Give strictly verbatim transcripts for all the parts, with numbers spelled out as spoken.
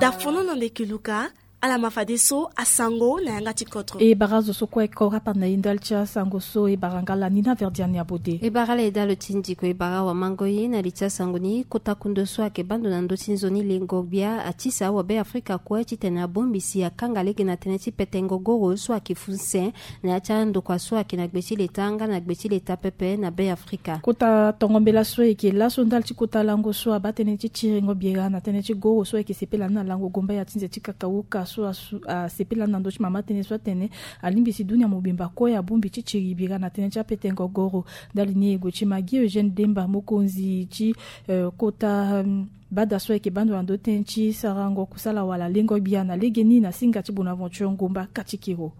Dafono na ndeke luka. Ala ma fadeso asango na yanga ti kodro. E bara zo so kue kora panda e ndali ti asango so e bara nga lani na Verdiane Abode. E bara ala e dalo ti ndiko e bara wamango ye na li ti asango ni kota kundo so ayeke bando na ndö ti nzoni lengo gbia atisa awabe afrika kue titene abongbi si akanga lege na tënë ti petengo goro so ayeke funse na ya ti andokua so ayeke na gbe ti leta nga na gbe ti leta pepe na be afrika. Kota tongo mbela so ayeke laso ndali ti kota lango so abaa tënë ti tiringo biera na tënë ti goro so ayeke sepela ni na lango gombaya ti nze ti kakauka so asu- asepela ni na ndö ti mama tënë so atene alingbi si dunia mobimba kue abongbi ti tiri biera na tënë ti apetengo goro. Ndali ni e gue ti magi Eugène Demba mokonzi ti eh, kota hmm, bada so ayeke bando na ndö tënë ti sarango kusala wala lengo gbia na legeni na singa ti Bonaventure Ngomba Katikiro.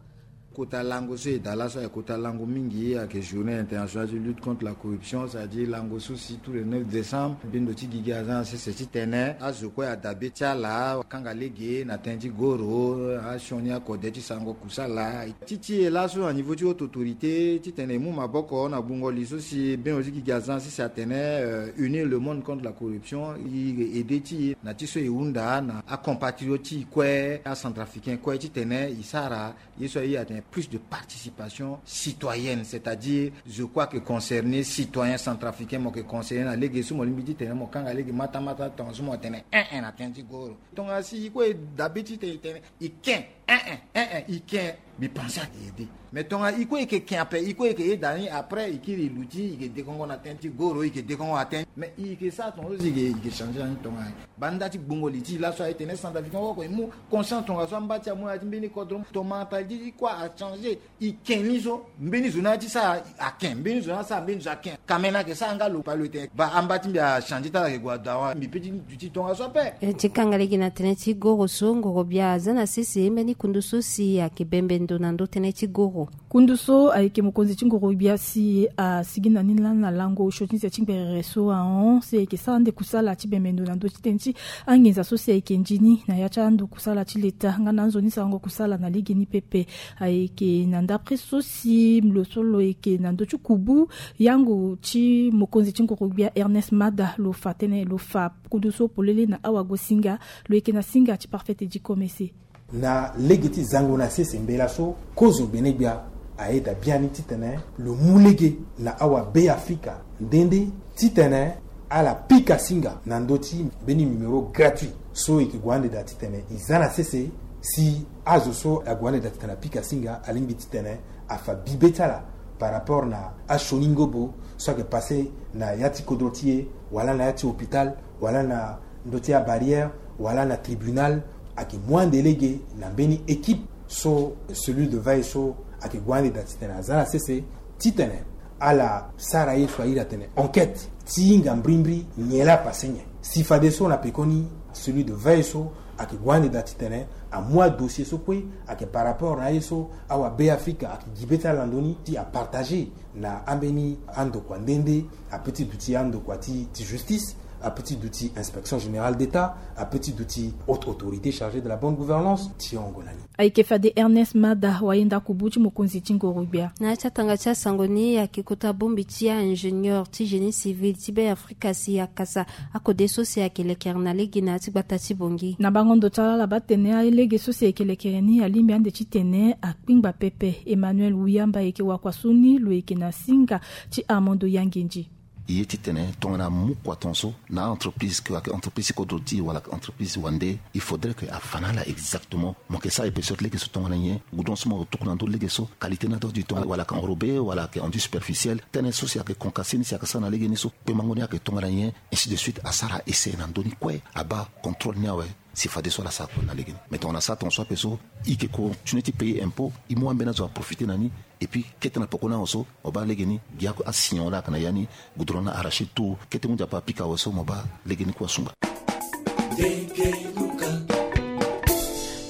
Kota lango so e daa laso ayeke kota lango mingi, ayeke journée internationale ti lutte contre la corruption, c'est-à-dire lango so si tous les neuf décembre mbi ndo ti gigi aza na sese titene azo kue adabe ti ala akanga lege na tënë ti goro, asioni akode ti sarango kusala. Ti ti e laso na niveau ti haute autorité titene e mu maboko na gbungo li so si bino ti gigi aza na sese atene euh, unir le monde contre la corruption, e aide ti e na ti so e hunda na acompatriote ti e kue acentrafricain kue titene e sara ye so aye atene plus de participation citoyenne, c'est-à-dire zo kue ayeke concerné, citoyen centrafricain mo yeke concerné na lege so mo lingbi titene mo kanga lege matamata tongaso mo tene un un na tënë ti goro. Tongana si e kue e dabe titene e tene e ken un un un un e ken, mbi pense ayeke aide. Mais tongana e kue e yeke ken ape, e kue e yeke yeda ni, après e kiri e luti, e yeke dekongo na tënë ti goro, e yeke dekongo na tënë. Mais e yeke sara tongaso si e yeke changé na ni tongana banda ti gbungo li ti e laso aye tene centrafricain oko e mu conscience tongaso amba ti amu na ya ti mbeni kodro, tongana mentalité ti kua achangé. E ken ni so mbeni zo ni aya ti sara aken, mbeni zo ni asara mbeni zo aken. Kamene ayeke sara nga lo pa lo e tene ba amba ti mbi achangé ti ala ayeke gue adawa, mbi pe ti duti tongaso ape. E ti kanga lege na tënë ti goro so ngoro gbia aza na sese mbeni kundu so si ayeke bembe ndo na ndö tënë ti goro. Kundu so ayeke mokonzi ti ngoro gbia si asigi na ni lani na lango osio ti nze ti ngberere so ahon si ayeke sara ande kusala ti bembe ndo na ndö ti tënë ti anginza so si ayeke ndi ni na ya ti ando kusala ti leta nga na anzoni sarango kusala na lege ni pepe. Ayeke na ndapre so si lo so lo yeke na ndö ti kubu yango ti mokonzi ti ngoro gbia Ernest Mada lo fa tënë lo fa kundu so polele na awagosinga. Lo yeke na singa ti Parfait Eddy Komese. Na lege ti zango na sese mbela so kozo gbene gbia ayeda biani titene lo mu lege na awabe afrika nde nde titene ala pika singa na ndö ti mbeni numéro gratuit so e yeke gue ande daa titene e za na sese si azo so ague ande daa titene apika singa alingbi titene afa bibe ti ala par rapport na asioni ngobo so ayeke passe na ya ti kodro ti e wala na ya ti hôpital wala na ndö ti abarrière wala na tribunal. Ayeke mu ande lege na mbeni équipe so cellule de veille so ayeke gue ande daa titene aza na sese titene ala sara ye so airi atene enquête ti hinga mbrimbri nyen laa apasse nyen. Si fadeso na pekoni cellule de veille so ayeke gue ande daa titene amu adossier so kue ayeke par rapport na ye so awabe afrika ayeke gi be ti ala na ndoni ti apartager na ambeni andokua nde nde ape ti duti andokua ti justice, ape ti duti inspection générale d'état, ape ti duti haute autorité chargée de la bonne gouvernance ti hongo na ni. Ayeke fade Ernest Mada wayenda kubu ti mokonzi ti ngoro gbia. Na ya ti atanga ti asango ni ayeke kota bongbi ti aingénieur ti génie civil ti be afrika si akasa akode so si ayeke lekere na lege na ya ti gbata ti bongi. Na bango ndo ti ala ala baa tene alege so si ayeke lekere ni alingbi ande titene akpingba pepe. Emmanuel Wiyamba ayeke wakua so ni lo yeke na singa ti Armando Yangendi. Ye titene tongana mu kua tongaso na a-entreprise ke ayeke entreprise ti kodro ti e wala ayeke entreprise wande, il faudrait ke afa na ala exactement. Mo yeke sara épaisseur ti lege so tongana nyen, goudron so mo tuku na ndö lege so qualité ni adoit du temps wala ayeke enrobé wala ayeke enduit superficiel. Tënë so si ayeke concassé ni si ayeke sara na lege ni so kpembango ni ayeke tongana nyen, ainsi de suite asara essai na ndö ni kue abaa contrôle ni awe. Si fadeso ala sara kue na lege ni. Mais tongana asara tongaso ape so e yeke continué ti payer impôt, e mu ambeni azo aprofité na ni. Et puis kete na poko ni awe so mo baa lege ni gi asignon laa ayeke na ya ni, goudron ni arraché tout. Kete mu nzapa apika awe so mo baa lege ni kue asungba.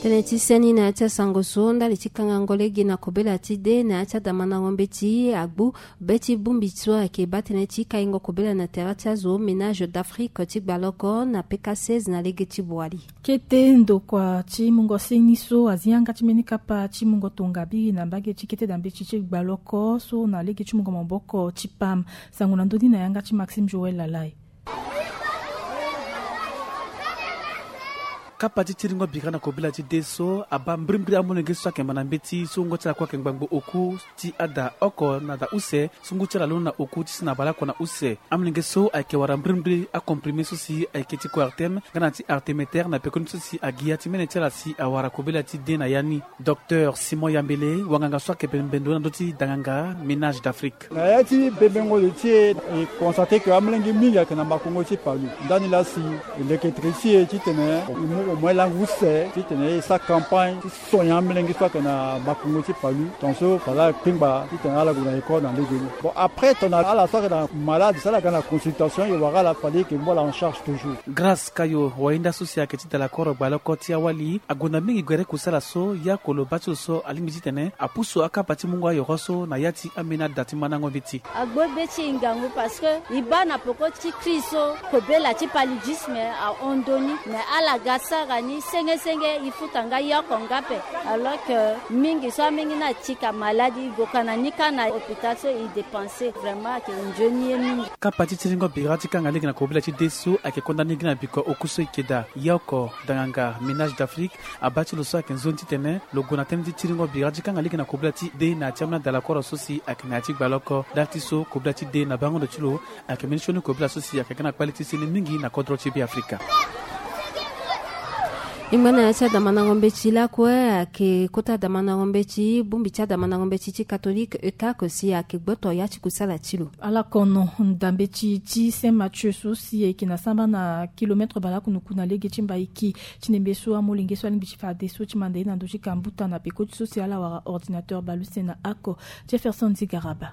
Tënë ti seni na ya ti asango so ndali ti kangango lege na kobela ti de na ya ti adamandango mbeti agbu be ti bongbi so ayeke baa tënë ti kaingo kobela na tere ti azo Ménage d'Afrique ti gbaloko na P K seize na lege ti Boali. Kete ndokua ti mungo seni so azi yanga ti mbeni kapa ti mungo tongabiri na mbage ti kete dambeti ti gbaloko so na lege ti mungo maboko ti pam. Sango na ndö ni na yanga ti Maxime Joël Lalai. Kapa ti tiringo bira na kobela ti de so abaa mbirimbiri amolenge so ayeke manda mbeti so wungo ti ala kue ayeke ngbangbo oku ti ada oko na da use so ngu ti ala londo na oku ti si na baleoko na use. Amolenge so ayeke wara mbirimbiri acomprime so si ayeke ti coartem nga na ti artemeter na pekoni so si agi ya ti mene ti ala si awara kobela ti de na ya ni. Docteur Simon Yambele, wanganga so ayeke bembe ndo na ndö ti danganga Ménage d'Afrique. Na ya ti bembengo lo ti e, e constate ke amolenge mingi ayeke na makongo ti palu. Ndani laa si e leke tere ti e titene e mu au moins langue use titene e sara campagne ti soigner amolenge so ayeke na makongo ti palu. Tongaso fade ala kpengba titene ala gue na école na lege ni. Bon, après tongana ala so ayeke na malade so ala ga na consultation, e wara ala fade e yeke mu ala en charge toujours. Grâce Kayo, wahinda so si ayeke ti dalakoro gbaloko ti awali, agonda mingi gere kusala so, ya oko lo baa ti lo so alingbi titene apusu akapa ti mungo ayoro so na ya ti ambeni ada ti mandango mbeti. Agbo be ti e ngangu parce que e baa na peko ti crise so kobela ti paludisme ahon ndoni, mais ala ga sara ni senge senge, e futa nga yoko nga ape. Alors que mingi so amenge ni atika malade, e gue ka na ni kâ na hôpital so e dépenser, vraiment ayeke nzoni ye mingi. Kapa ti tiringo bira ti kanga lege na kobela ti de so ayeke konda ni gi na biko oku so e yeke daa. Yoko danganga Ménage d'Afrique abaa ti lo so ayeke nzoni titene lo gue na tënë ti tiringo bira ti kanga lege na kobela ti de na ya ti ambeni adalakoro so si ayeke na ya ti gbaloko. Ndali ti so kobela ti de na bango ndo ti lo ayeke mbeni sioni kobela so si ayeke ga na kpale ti seni mingi na kodro ti Beafrika. E ngba na ya ti adamandango mbeti lakue ayeke kota adamandango mbeti, bongbi ti adamandango mbeti ti Catholique E C A C si ayeke gboto ya ti kusala ti lo. Ala kono ndambe ti ti Saint Mathieu so si e yeke na samba na kilomètre baleoko na oku na lege ti Mbaiki ti ndembe so amolenge so alingbi ti fadeso ti manda ye na ndö ti kambuta na peko ti so si ala wara ordinateur baleuse na oko. Jefferson Zigaraba.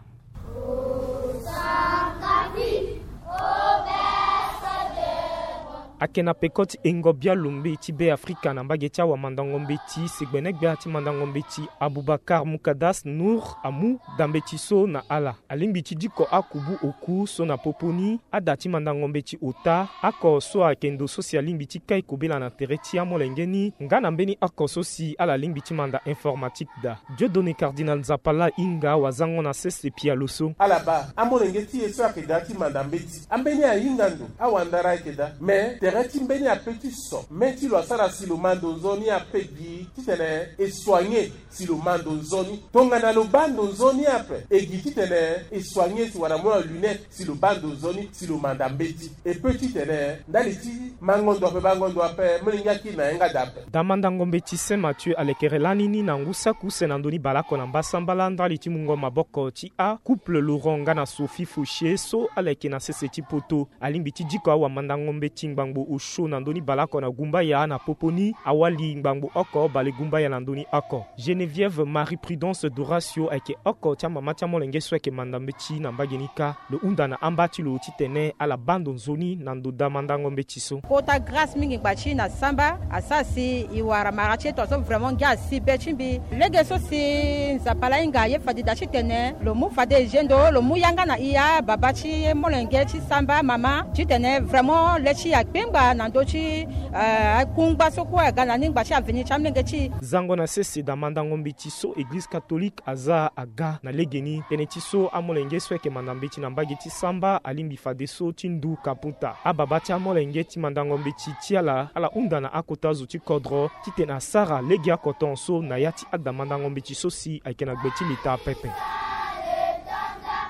Ayeke na peko ti engo bialo mbeti Beafrika na mbage ti awamandango mbeti, segbene gbia ti mandango mbeti Abubakar Mukadas Nour amu ndambe ti so na ala. Alingbi ti diko akubu oku so na popo ni, ada ti mandango mbeti ota, oko so ayeke ndo so si alingbi ti kai kobela na tere ti amolenge ni, nga na mbeni oko so si ala lingbi ti manda informatique daa. Dieudonné Cardinal Nzapala ahinga wazango na sese pialo so. Ala baa amolenge ti e so ayeke daa ti manda mbeti. Ambeni ahinga ndo, awandara ayeke daa. Me tere ti mbeni ape ti so, me ti lo asara si lo ma ndo nzoni ape gi titene e soigner si lo ma ndo nzoni. Tongana lo baa ndo nzoni ape, e gi titene e soigner si wala mo na lunette si lo baa ndo nzoni si lo manda mbeti. E peut titene ndali ti mango ndo ape, bango ndo ape, molenge akiri na yanga daa ape. Damandango mbeti Saint Mathieu alekere lani ni na ngu saki use na ndö ni baleoko na mbasambala ndali ti mungo maboko ti acouple Laurent nga na Sophie Fauchier so ala yeke na sese ti poto. Alingbi ti diko awamandango mbeti ngbangbo osio na ndö ni baleoko na gumbaya na popo ni, awali ngbangbo oko balegumbaya na ndö ni oko. Geneviève Marie Prudence Doratio ayeke oko ti amama ti amolenge so ayeke manda mbeti na mbage ni kâ. Lo hunda na amba ti lo titene ala baa ndo nzoni na ndo damandango mbeti so. Kota grâce mingi ngba ti e na samba asara si e wara mara ti e tongaso vraiment ngia asi be ti mbi. Lege so si Nzapa laa ahinga aye fade daa titene lo mu fade e zendo, lo mu yanga na e ababa ti molenge ti samba mama titene vraiment le ti e akpengba na ndö ti, eh, akungba so kue aga na ni ngba ti avenir ti amolenge ti e. Zango na sese damandango mbeti so Eglize Catholique aza aga na legeni tënë ti so amolenge so ayeke manda mbeti na mbage ti samba alingbi fadeso ti ndu kaputa. Ababa ti amolenge ti mandango mbeti ti ala, ala hunda na akota zo ti kodro titene asara legeoko tongaso na ya ti adamandango mbeti so si ayeke na gbe ti leta pepe.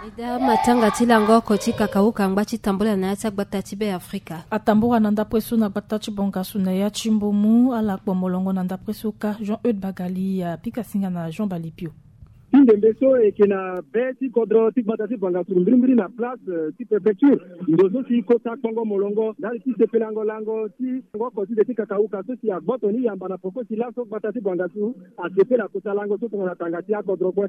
E daa matanga ti lango oko ti kakauka angba ti tambula na ya ti agbata ti Beafrika. Atambula na ndapre so na gbata ti Bangassou na ya ti Mbomou, ala kpo molongo na ndapre so kâ. Jean Eude Bagali apika singa na Jean Balipio. Ti ndembe so e yeke na be ti kodro ti gbata ti Bangassou mbirimbiri na place, eh, ti préfecture. Ndo so si kota kpongo molongo ndali ti sepelango lango ti lango oko ti de ti kakauka so si agboto ni yamba na poko ti laso gbata ti Bangassou asepela kota lango so tongana tanga ti akodro kue.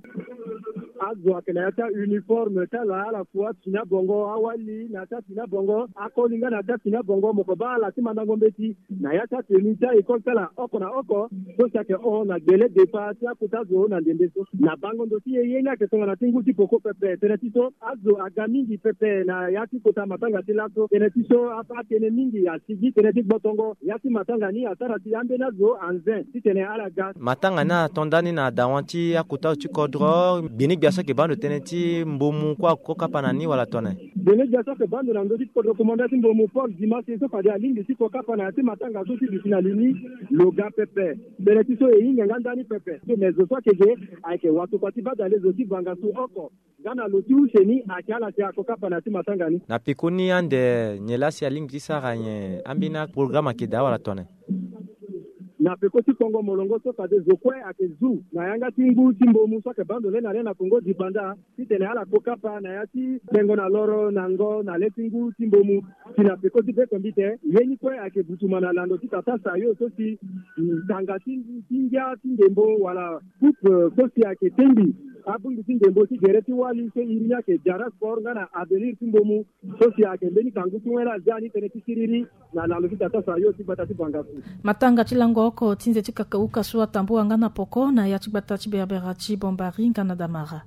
Azo ayeke na ya ti auniforme ti ala, ala fu afini abongo, awali na ya ti afini abongo, akoli nga na ya ti afini abongo, mo ko baa ala ti mandango mbeti na ya ti atenu ti a-école ti ala oko na oko so si ayeke hon na gbele depa ti akota zo na ndembe so na ba Ngondo ti e ye ni ayeke tongana ti ngu ti poko pepe. Tënë ti so azo aga mingi pepe na ya ti kota matanga ti laso. Tënë ti so atënë mingi asigi tënë ti gbotongo ya ti matanga ni asara si ambeni azo anze titene ala ga. Matanga ni ato ndani na dawa ti akota azo ti kodro. Gbeni gbia so ayeke baa ndo tënë ti mbomu kue ako kapa na ni wala tone? Gbeni gbia so ayeke baa ndo na ndö ti kodro komanda ti mbomu Paul Dimase so fade alingbi ti ko kapa na ya ti matanga so ti duti na li ni. Lo ga pepe. Tënë ti so e hinga nga ndani pepe so me zo so ayeke ge ayeke watokua ti badale zo ti vanga su oko. Nga na lo ti use ni ayeke ala si ako kapa na ya ti matanga ni. Na pekoni ande nyen laa si alingbi ti sara nyen? Ambeni aprograme ayeke daa wala tone? Na peko ti kongo molongo so fade zo kue ayeke zu na yanga ti ngu ti mbomu so ayeke baa ndo le na le na kongo dipanda titene ala ko kapa na ya ti tengo na loro na ngo na le ti ngu ti mbomu. Si na peko ti bekombite ye ni kue ayeke butuma na lando ti tata sayo so si tanga ti ngia ti ndembo wala coupe so si ayeke tengbi abongbi ti ndembo ti gere ti wali so iri ni ayeke diara sport nga na avenir ti mbomu so si ayeke mbeni kangu ti wen la azia ni tënë ti siriri na lalo ti tata sayo ti gbata ti bangasu. Matanga ti lango oko ti nze ti kakauka so atambua nga na poko na ya ti gbata ti berbera ti bombari nga na damara.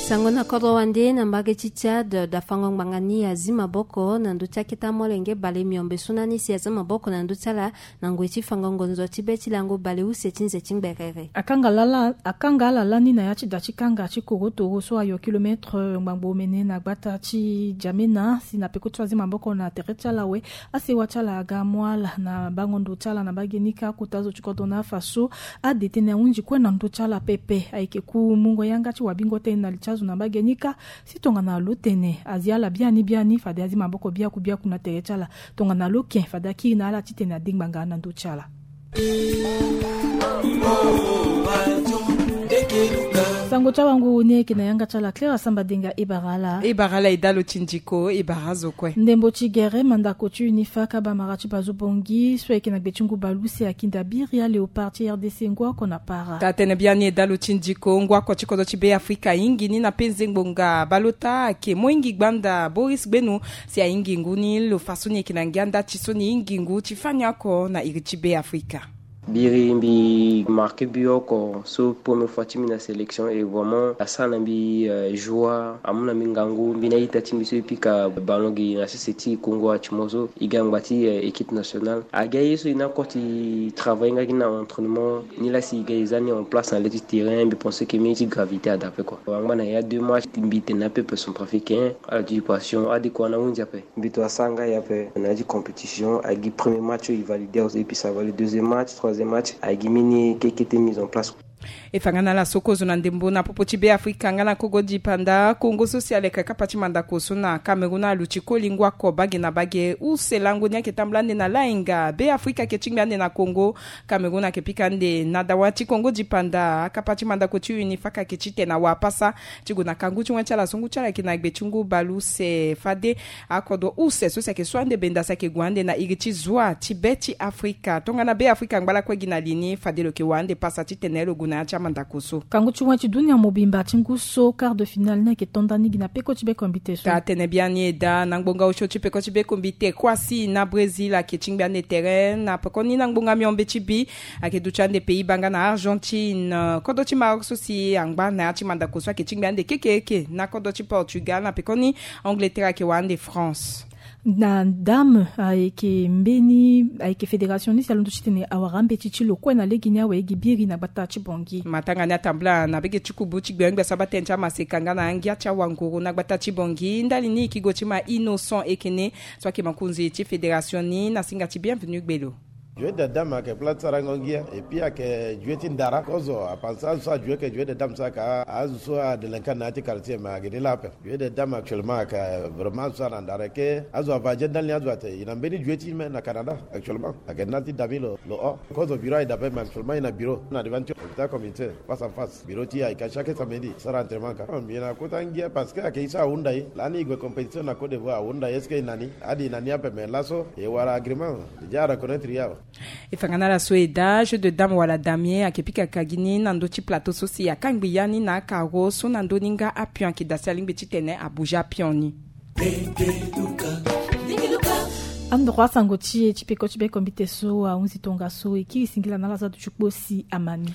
Sango na kodro wande na mbage ti Tchad, dafango ngbanga ni azi maboko na ndö ti akete amolenge bale miombe so na ni si aza maboko na ndö ti ala na ngoi ti fango ngonzo ti be ti lango bale use ti nze ti ngberere. Akanga ala lani na ya ti da ti kanga ti korotoro so ayo kilometre ngbangbo omene na gbata ti Djamena si na peko ti azi maboko na tere ti ala awe. Asewa ti ala aga amu ala na bango ndo ti ala na mbage ni kâ akota zo ti kodro na afa so ade tënë ahunzi kue na ndö ti ala pepe. Ayeke ku mungo yanga ti wabingo tënë na li ti azo na mbage ni kâ. Si tongana lo tene azi ala biani biani fade azi maboko biaku biaku na tere ti ala. Tongana lo ken fade akiri na ala titene ade ngbanga na ndö ti ala. Sango ti awanguru ni ayeke na yanga ti ala Claire Asamba Denga. E bara ala. E bara ala e dalo ti ndiko e bara azo kue. Ndembo ti gere mandako ti UNIFA ka bamara ti bazo bongi so ayeke na gbe ti ngu bale use akinda biri aléopard ti RDC ngu oko na para. Taa tene biani e dalo ti ndiko ngu oko ti kodro ti Be Afrika ahingi ni na penze ngbonga baleota ayeke mo hingi gbanda Boris Gbenu. Si ahingi ngu ni lo fa so ni yeke na ngia nda ti so ni hingi ngu ti fani oko na iri ti Be Afrika. Biri mbi marqué but oko so première fois ti mbi na sélection et vraiment asara na mbi joie, amu na mbi ngangu, mbi na ita ti mbi so e pika ballon gi na sese ti Congo ati mo so e ga ngba ti équipe nationale. Aga ye so e na koti travail nga gi na entraînement ni la si e ga e za ni en place na le ti terrain, mbi pensé que mbi ti gravité ada ape quoi. Angba na ya deux matchs mbi tene na peuple centrafricain, ala ti passion ade kua na hunzi ape. Mbi to asara nga ye ape na ya ti compétition, agi premier match so e validé awe so e pisa avalidé deuxième match, troisième match agi mini kekete mise en place. E fa nga na ala so kozo na ndembo na popo ti Be Afrika nga na kogo dipanda Congo so si aleka kapa ti mandako so na Cameroun aluti koli ngu oko bage na bage. Use lango ni ayeke tambula ande na lainga. Be Afrika ayeke tingbi ande na Congo. Cameroun ayeke pika ande na dawa ti Congo dipanda. Akapa ti mandako ti UNIFA ka yeke ti tene awa apasa ti gue na kangu ti wen ti ala so ngu ti ala ayeke na gbe ti ngu bale use fade akodro use so si ayeke so ande benda si ayeke gue ande na iri ti zua ti be ti Afrika. Tongana Be Afrika angba lakue gi na li ni fade lo yeke wara ande pasa titene lo gue na ya ti amandako so. Kangu ti wen ti dunia mobimba ti ngu so quart de finale ni ayeke to nda ni gi na peko ti bekombite so. Taa tene biani e daa na ngbonga osio ti peko ti bekombite kue asi na Brésil ayeke tingbi ande tere na pekoni na ngbonga miombe ti bi. Ayeke duti ande Pays-Bas nga na Argentine. Kodro ti Maroc so si angba na ya ti mandako so ayeke tingbi ande kekeke na kodro ti Portugal na pekoni Angleterre ayeke wara ande France. Na dame ayeke mbeni ayeke fédération ni si alondo titene awara mbeti ti lo kue na lege ni awe gi biri na gbata ti Bangui. Matanga ni atambula na bege ti kubu ti gbengbia saba tënë ti amaseka nga na angia ti awanguru na gbata ti Bangui ndali ni e yeke go ti ma Innocent Ekene so ayeke mokonzi ti fédération ni na singa ti Bienvenu Gbelo. Jeu de dame ayeke plat ti sarango ngia et puis ayeke jeu ti ndara kozo apansa azo so ajeu ayeke jeu de dame so ayeke azo so adelenka na ya ti quartier mais ayeke ni laa ape. Jeu de dame actuellement ayeke vraiment azo so ana ndara eke azo ava aje ndali ni azo ate e na mbeni jeu ti me na Canada actuellement ayeke ndali ti dame lo lo o kozo bureau aye dape mais actuellement e na bureau na devant ti hôpital communauté face en face bureau ti e ayeke chaque samedi sara entraînement ka mbi na kota ngia parce que ayeke e so ahunda e lani e gue compétition na Côte d'Ivoire ahunda e est-ce que e na ni ade e na ni ape mais laso e wara agrément. Déjà a reconnaître ya. E fa nga na ala so e daa jeu de dame wala damier ayeke pika ka gi ni na ndö ti plateau so si akangbi ya ni na akaro so na ndö ni nga apion ayeke daa si alingbi titene abouge apion ni. Andro asango ti e ti peko ti be kombite so ahunzi tongaso e kiri singila na ala za duti kpo si amani.